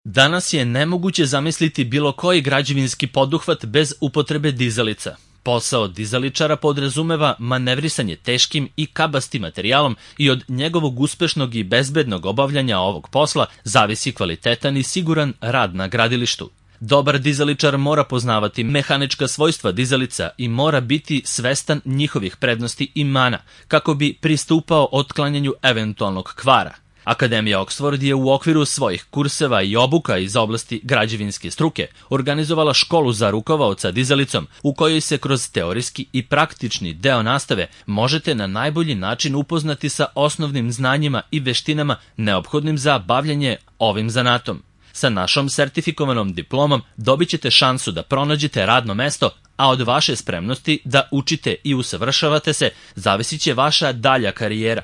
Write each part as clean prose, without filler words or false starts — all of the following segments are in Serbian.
Danas je nemoguće zamisliti bilo koji građevinski poduhvat bez upotrebe dizalica. Posao dizaličara podrazumeva manevrisanje teškim i kabastim materijalom i od njegovog uspešnog i bezbednog obavljanja ovog posla zavisi kvalitetan i siguran rad na gradilištu. Dobar dizaličar mora poznavati mehanička svojstva dizalica i mora biti svestan njihovih prednosti i mana kako bi pristupao otklanjanju eventualnog kvara. Akademija Oxford je u okviru svojih kurseva i obuka iz oblasti građevinske struke organizovala školu za rukovaoca dizalicom u kojoj se kroz teorijski i praktični deo nastave možete na najbolji način upoznati sa osnovnim znanjima i veštinama neophodnim za bavljanje ovim zanatom. Sa našom sertifikovanom diplomom dobit ćete šansu da pronađete radno mesto, a od vaše spremnosti da učite i usavršavate se zavisit će vaša dalja karijera.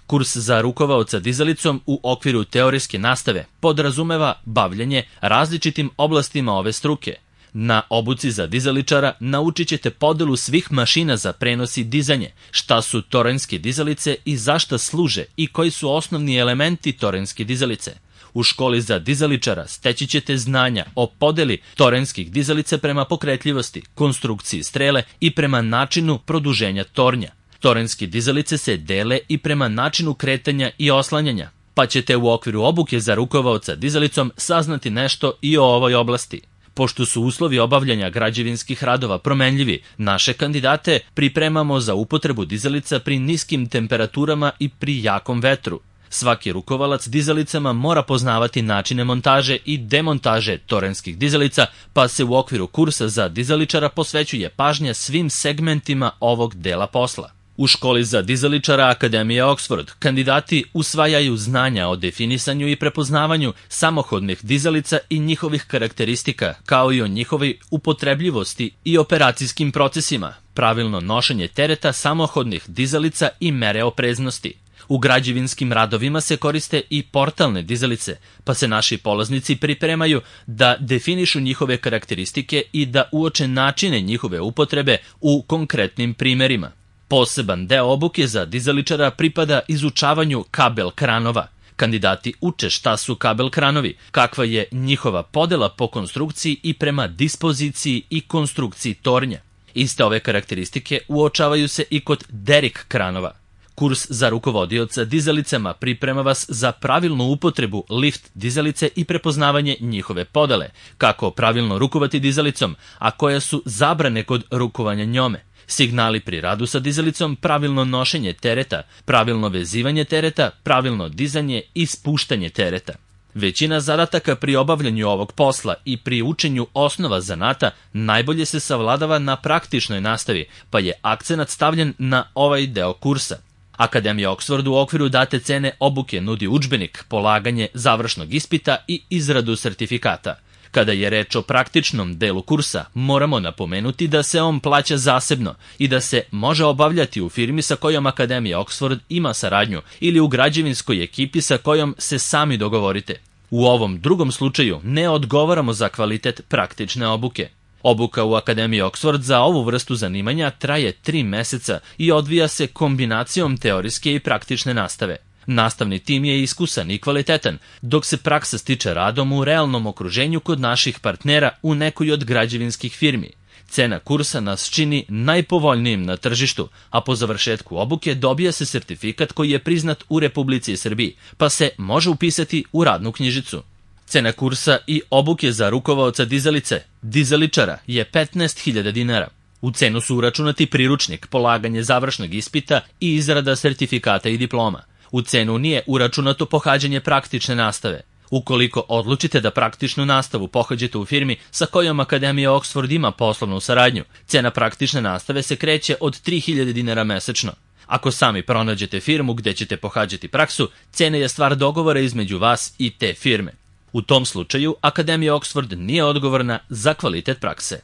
Kurs za rukovaoca dizalicom u okviru teorijske nastave podrazumeva bavljanje različitim oblastima ove struke. Na obuci za dizaličara naučit ćete podelu svih mašina za prenos i dizanje, šta su toranjske dizalice i zašta služe i koji su osnovni elementi toranjske dizalice. U školi za dizaličara steći ćete znanja o podeli toranjskih dizalica prema pokretljivosti, konstrukciji strele i prema načinu produženja tornja. Toranjske dizalice se dele i prema načinu kretanja i oslanjanja, pa ćete u okviru obuke za rukovaoca dizalicom saznati nešto i o ovoj oblasti. Pošto su uslovi obavljanja građevinskih radova promenljivi, naše kandidate pripremamo za upotrebu dizalica pri niskim temperaturama i pri jakom vetru. Svaki rukovalac dizalicama mora poznavati načine montaže i demontaže toranjskih dizalica, pa se u okviru kursa za dizaličara posvećuje pažnja svim segmentima ovog dela posla. U školi za dizaličara Akademije Oxford kandidati usvajaju znanja o definisanju i prepoznavanju samohodnih dizalica i njihovih karakteristika, kao i o njihovoj upotrebljivosti i operacijskim procesima, pravilno nošenje tereta samohodnih dizalica i mere opreznosti. U građevinskim radovima se koriste i portalne dizalice, pa se naši polaznici pripremaju da definišu njihove karakteristike i da uoče načine njihove upotrebe u konkretnim primerima. Poseban deo obuke za dizaličara pripada izučavanju kabel kranova. Kandidati uče šta su kabel kranovi, kakva je njihova podela po konstrukciji i prema dispoziciji i konstrukciji tornja. Iste ove karakteristike uočavaju se i kod derik kranova. Kurs za rukovodioca dizalicama priprema vas za pravilnu upotrebu lift dizalice i prepoznavanje njihove podele, kako pravilno rukovati dizalicom, a koja su zabrane kod rukovanja njome. Signali pri radu sa dizalicom, pravilno nošenje tereta, pravilno vezivanje tereta, pravilno dizanje i spuštanje tereta. Većina zadataka pri obavljanju ovog posla i pri učenju osnova zanata najbolje se savladava na praktičnoj nastavi, pa je akcenat stavljen na ovaj deo kursa. Akademija Oxford u okviru date cene obuke nudi udžbenik, polaganje završnog ispita i izradu sertifikata. Kada je reč o praktičnom delu kursa, moramo napomenuti da se on plaća zasebno i da se može obavljati u firmi sa kojom Akademija Oxford ima saradnju ili u građevinskoj ekipi sa kojom se sami dogovorite. U ovom drugom slučaju ne odgovaramo za kvalitet praktične obuke. Obuka u Akademiji Oxford za ovu vrstu zanimanja traje 3 meseca i odvija se kombinacijom teorijske i praktične nastave. Nastavni tim je iskusan i kvalitetan, dok se praksa stiče radom u realnom okruženju kod naših partnera u nekoj od građevinskih firmi. Cena kursa nas čini najpovoljnijim na tržištu, a po završetku obuke dobija se sertifikat koji je priznat u Republici Srbiji, pa se može upisati u radnu knjižicu. Cena kursa i obuke za rukovaoca dizaličara je 15.000 dinara. U cenu su uračunati priručnik, polaganje završnog ispita i izrada sertifikata i diploma. U cenu nije uračunato pohađanje praktične nastave. Ukoliko odlučite da praktičnu nastavu pohađate u firmi sa kojom Akademija Oxford ima poslovnu saradnju, cena praktične nastave se kreće od 3.000 dinara mesečno. Ako sami pronađete firmu gde ćete pohađati praksu, cena je stvar dogovora između vas i te firme. U tom slučaju Akademija Oxford nije odgovorna za kvalitet prakse.